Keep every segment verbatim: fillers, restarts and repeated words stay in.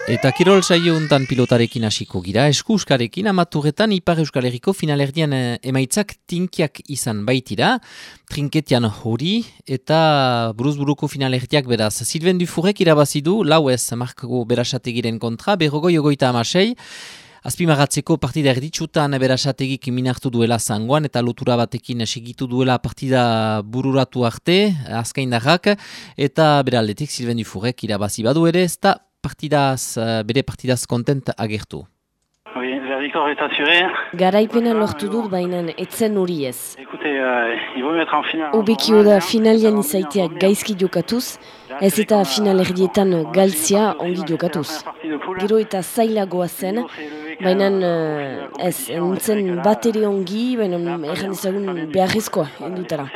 Eta kirol saio untan pilotarekin hasiko gira, eskuskarekin amaturretan Ipar Euskal Herriko finalerdian emaitzak tinkiak izan baitira, trinketian hori eta buruz-buruko finalerdiak beraz. Sylvain Dufurrek irabazidu, lau ez markako berasategiren kontra, berrogoi ogoita amasei, azpimagatzeko partida erditsutan berasategik minartu duela zangoan eta lotura batekin segitu duela partida bururatu arte, azkaindarrak, eta beraldetik Sylvain Dufurrek irabazi badu ere, ez da partidaz, bere partidaz kontent agertu. Oui, la victoire est assurée. Garaipena lortu dut bainan etzen hori ez. Écoutez, euh, il vaut mettre en finale. Obekio da finalian izaiteak gaizki jokatuz, ez eta finalerdietan galtzia ongi jokatuz. Gero eta zailagoa zen, baina ez, nintzen bat ere ongi, baina erran ezagun beharrezkoa, endutara.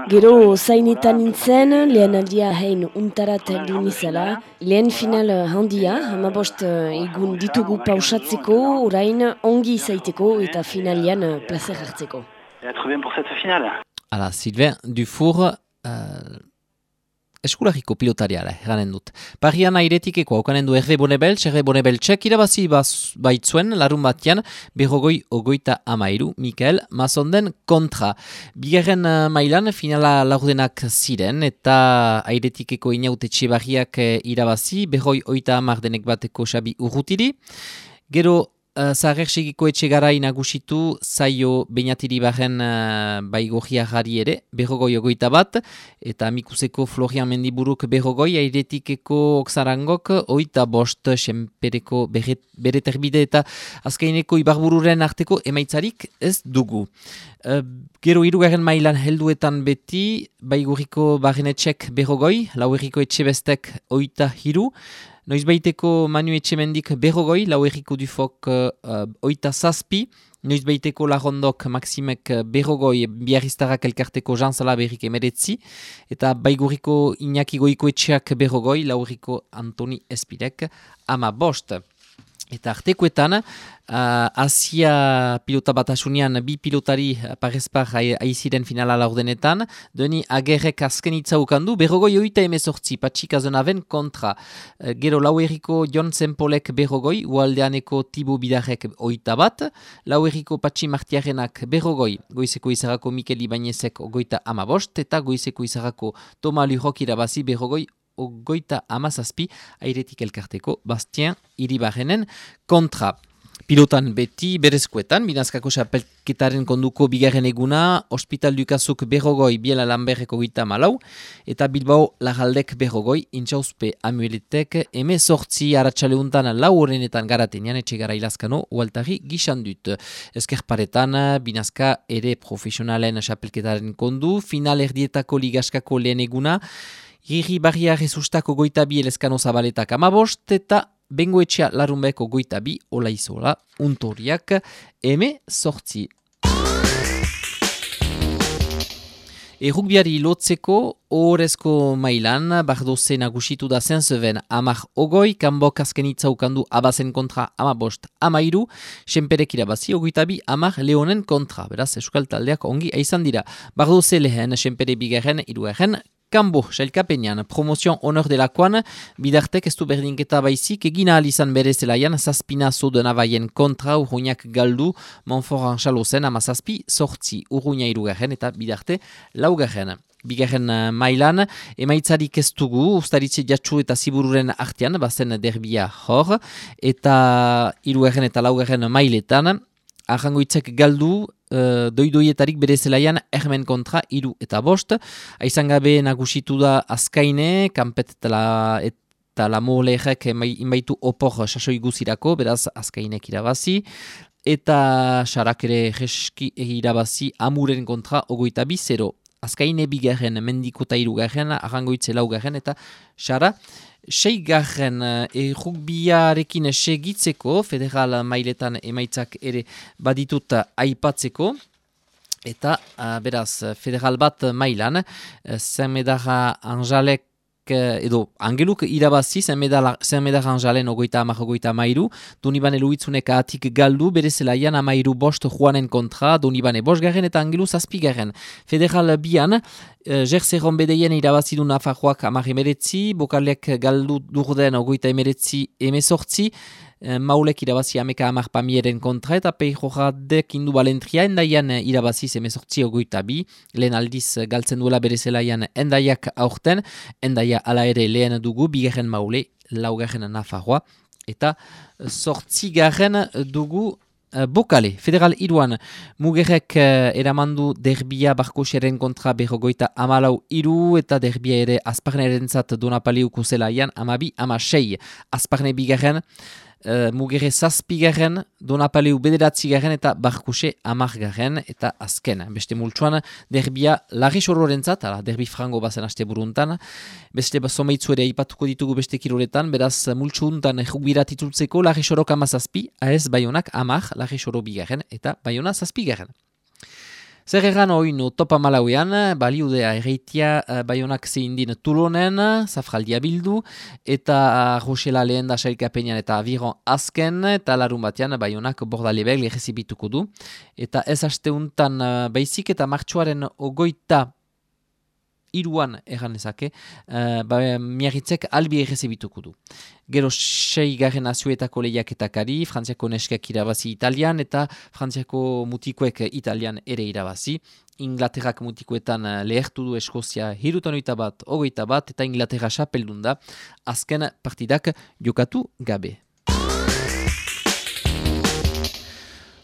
Gero zainetan nintzen, lehen aldia hein untarat heldu nizela, lehen final handia, hamabost egun ditugu pausatzeko, orain ongi izaiteko eta finalian placer hartzeko. Être bien pour cette finale. Ala, Sylvain Dufour, uh, eskulariko pilotariala, eranen dut. Parian airetikeko haukanen du Hervé Bonebeltz, Hervé Bonebeltzek irabazi baitzuen larun batian, berrogoi ogoita amairu, Mikael Mazonden kontra. Bigarren uh, mailan finala laurdenak ziren, eta airetikeko inautetxe barriak uh, irabazi, berroi oita amardenek bateko Xabi Urrutiri. Gero, Uh, Zaharrersegiko etxegarai nagusitu zaio Beñatiri baren uh, baigorria jari ere, berrogoi ogoita bat, eta Amikuseko Florian Mendiburuk berrogoi, airetikeko Oksarangok, oita bost, senpereko bere terbide eta azkaineko Ibarbururen arteko emaitzarik ez dugu. Uh, gero hirugarren mailan helduetan beti, baigorriko barrenetxek berrogoi, lauerriko etxebestek oita hiru, Noizbeiteko Manu Etxemendik berrogoi, lauerriko Dufok uh, oita zazpi, Noizbeiteko Larondok Maximek berrogoi, Biarriztarrak elkarteko Jean Salaberrik emeretzi, eta Baigurriko Iñaki Goikoetxeak berrogoi, lauerriko Antoni Espirek ama bost. Eta artekoetan, uh, Asia pilota batasunean bi pilotari parezpar aiziren finala laurdenetan, Deni Agerrek azken itzaukandu, berrogoi oita emezortzi, Patxik Azenaven kontra. Uh, gero lauerriko Jon Zempolek berrogoi, Ualdeaneko Tibo Bidarrek oita bat, lauerriko Patxi Martiarenak berrogoi, Goizeko Izarako Mikel Ibañezek ogoita amabost, eta Goizeko Izarako Toma Lujok irabazi berrogoi ogoita amazazpi, airetik elkarteko Bastien Iribarrenen kontra. Pilotan beti berezkoetan, Binazkako xapelketaren konduko bigarren eguna, Hospital Dukazuk berrogoi, Biela Lamberreko gita malau, eta Bilbao Lagaldek berrogoi, Intxauzpe Amueletek, eme sortzi aratxaleuntan lau horrenetan garatenean, etxegara ilazkano, ualtari gixan dut. Ezkerparetan, Binazka ere profesionalen xapelketaren kondu, final erdietako ligaskako lehen eguna, Giri barria rezustako goita bi elezkano zabaletak amabost, eta bengoetxea larunbeko goita bi olaizola untoriak eme sortzi. Errukbiari lotzeko ohorezko mailan, bardoze nagusitu da Saint-Seven amak ogoi, kanbok azken itzaukandu abazen kontra amabost amairu, senperek irabazi ogoita bi amak leonen kontra, beraz euskal taldeak ongi aizan dira. Bardoze lehen, senpere bigarren, irugarren, Kambo, sailkapenean, promozion honor delakoan, bidartek ez du berdinketa baizik, egina alizan bere zelaian, zazpina zoden abaien kontra, urruñak galdu, Monforan xalozen, ama zazpi, sortzi, urruña irugarren eta bidarte laugarren. Bigarren mailan, emaitzarik ez dugu, ustaritze jatsu eta zibururen artean, bazen derbia hor, eta irugarren eta laugarren mailetan, arrangoitzek galdu, Uh, doidoietarik bere zelaian ermen kontra iru eta bost. Aizan gabe nagusitu da azkaine, kanpet eta la, eta la molerek inbaitu opor sasoi guzirako, beraz azkainek irabazi. Eta xarak ere jeski irabazi amuren kontra ogoita bi zero. Azkaine bigarren, mendikota irugarren, arrangoitze laugarren eta xara. Seigarren errukbiarekin segitzeko, federal mailetan emaitzak ere baditut aipatzeko, eta uh, beraz, federal bat mailan, Zemedara Anjalek edo Angeluk irabazi zenmedaran jalen ogoita amak ogoita amairu, Donibane Luitzunek atik galdu, bere zelaian amairu bost Juanen kontra, Donibane bosgarren eta Angelu zazpigarren. Federal bian, Jerzerron bedeien irabazidu Nafarroak amak emeretzi, Bokalek galdu durden ogoita emeretzi emezortzi, Maulek irabazi ameka amak pamieren kontra eta Peijoradek indu balentria, endaian irabazi emezortzi ogoita bi, lehen aldiz galtzen duela bere zelaian endaiak aurten, endaia ala ere lehen dugu, bigarren Maule, laugarren Nafarroa, eta zortzigarren dugu Uh, Bokale, Federal iruan, Mugerrek uh, eramandu derbia Barkosiaren kontra berrogoita amalau iru eta derbia ere Azparneren zat Donapaliuko zelaian amabi amasei. Azparne bigarren, uh, Mugerre zazpigarren, Donapaliu bederatzigarren eta Barkose amargarren eta azken. Beste multsuan, derbia larri sororen zat, ala, derbi frango bazen aste buruntan, beste someitzu ere ipatuko ditugu beste kiroletan, beraz multsu untan jubirat itultzeko larri sorok amazazpi, aez Baionak amar, larri soro bigarren eta Baiona zazpigarren. Zer erran oin topa malauean, baliudea erreitia Baionak zehindin Tulonen, Zafraldia bildu, eta Rosela lehen da sailkapenean eta Aviron azken, eta larun batean Baionak bordalebeg lehezibituko du. Eta ez asteuntan baizik eta martxoaren ogoita iruan erran ezake, uh, ba, miarritzek albi errezibituko du. Gero sei garen azuetako lehiaketakari, Frantziako neskak irabazi Italian eta Frantziako mutikoek Italian ere irabazi. Inglaterrak mutikoetan lehertu du Eskozia hirutan oita bat, ogoita bat, eta Inglaterra xapeldun da, azken partidak jokatu gabe.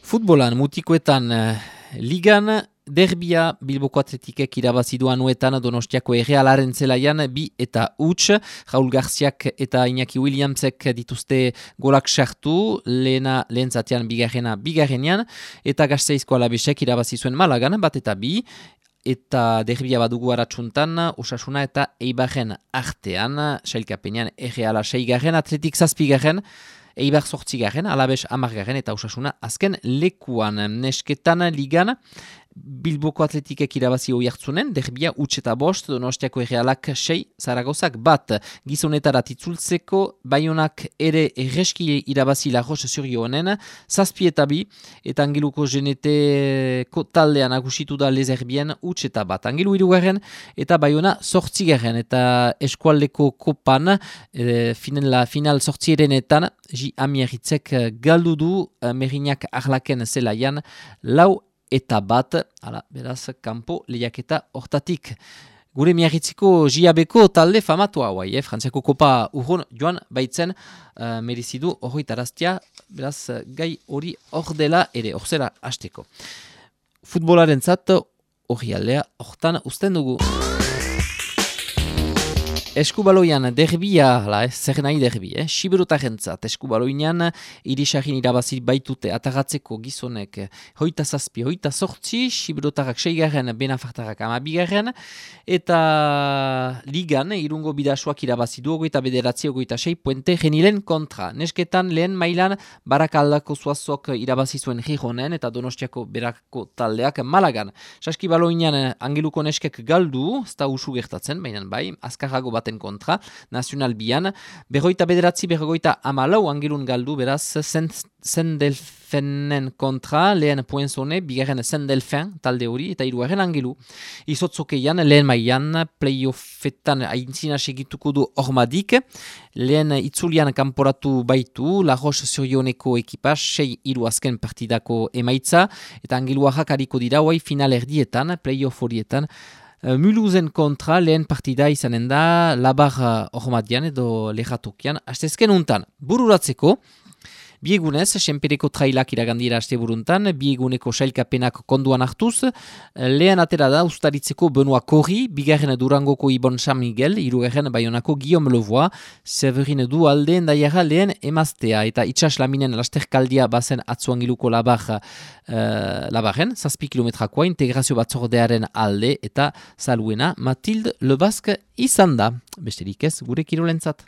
Futbolan mutikoetan uh, ligan, derbia Bilboko Atletikek irabazidu anuetan Donostiako errealaren zelaian bi eta huts, Raul Garziak eta Iñaki Williamsek dituzte golak sartu, lehena lehen zatean bigarrena bigarrenean, eta Gasteizko Alabesek irabazi zuen Malagan bat eta bi, eta derbia badugu aratsuntan, Osasuna eta Eibarren artean, sailkapenean erreala seigarren, Atletik zazpigarren, Eibar zortzigarren, Alabes amargarren eta Osasuna azken lekuan. Nesketan ligan, Bilboko Atletikek irabazi hoi hartzunen, derbia huts eta bost, Donostiako errealak sei, Zaragozak bat. Gizonetarat itzultzeko, Baionak ere erreski irabazi Larros Zurionen, zazpi eta bi, eta Angeluko Geneteko taldean agusitu da Lezerbien huts eta bat. Angelu hirugarren eta Baiona zortzigarren, eta eskualdeko kopan, e, finala, final zortzierenetan, Ji Amieritzek galdu du uh, Merinak Arlaken zelaian lau eta bat, ala, beraz, kanpo lehiaketa hortatik. Gure miarritziko J A B-ko talde famatu hauai, eh? Frantziako kopa urron joan baitzen uh, merizidu horri taraztia, beraz, gai hori hor dela ere, hor zera hasteko. Futbolaren zat, hori aldea, hortan usten dugu. Eskubaloian derbia, la, eh, zer nahi derbi, eh? Siberutarentzat eskubaloinan irisarin irabazi baitute atagatzeko gizonek hoita zazpi, hoita sortzi, siberotarrak seigarren, benafartarrak amabigarren, eta ligan irungo bidasuak irabazi du ogoita bederatzi, ogoita sei, puente genilen kontra. Nesketan lehen mailan barakaldako zuazok irabazi zuen Gironen eta Donostiako berako taldeak Malagan. Saskibaloinan Angeluko neskek galdu, ez da usu gertatzen, baina bai, azkarrago bat kontra, nazional bian, berroita bederatzi, berroita amalau Angelun galdu, beraz, Sendelfenen kontra, lehen Puenzone, bigarren Sendelfen, talde hori, eta hirugarren Angelu. Izotzokeian, lehen maian, playoffetan aintzina segituko du Ormadik, lehen itzulian kanporatu baitu, Larros Zurioneko ekipa, sei hiru azken partidako emaitza, eta Angeluarrak hariko dira, hoai final erdietan, playoff horietan, Mulhousen kontra lehen partida izanen da Labar Ormadian edo Lejatokian astezken untan. Bururatzeko, biegunez, senpereko trailak iragandira aste buruntan, bieguneko sailkapenak konduan hartuz, lehen atera da ustaritzeko Benoit Korri, bigarren Durangoko Ibon San Miguel, irugarren Baionako Guillaume Levois, Severin du aldeen daiara lehen emaztea, eta itxas laminen lasterkaldia bazen atzuangiluko Labar, uh, Labarren, zazpi kilometrakoa, integrazio batzordearen alde, eta saluena Mathilde Lebasque izan da. Besterik ez, gure kirolentzat.